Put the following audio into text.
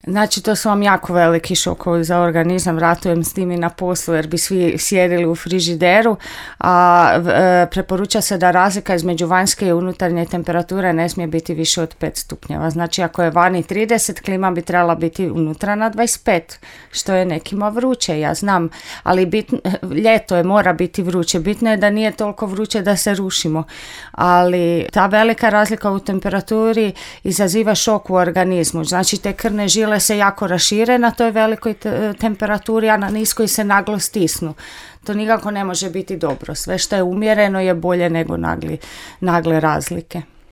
Znači, to su vam jako veliki šokovi za organizam, ratujem s tim i na poslu jer bi svi sjedili u frižideru, a preporuča se da razlika između vanjske i unutarnje temperature ne smije biti više od 5 stupnjeva. Znači, ako je vani 30, klima bi trebala biti unutra na 25, što je nekima vruće, ja znam, ali ljeto je, mora biti vruće. Bitno je da nije toliko vruće da se rušimo, ali ta velika razlika u temperaturi izaziva šok u organizmu. Znači, te krvne žile se jako rašire na toj velikoj temperaturi, a na niskoj se naglo stisnu. To nikako ne može biti dobro. Sve što je umjereno je bolje nego nagle razlike.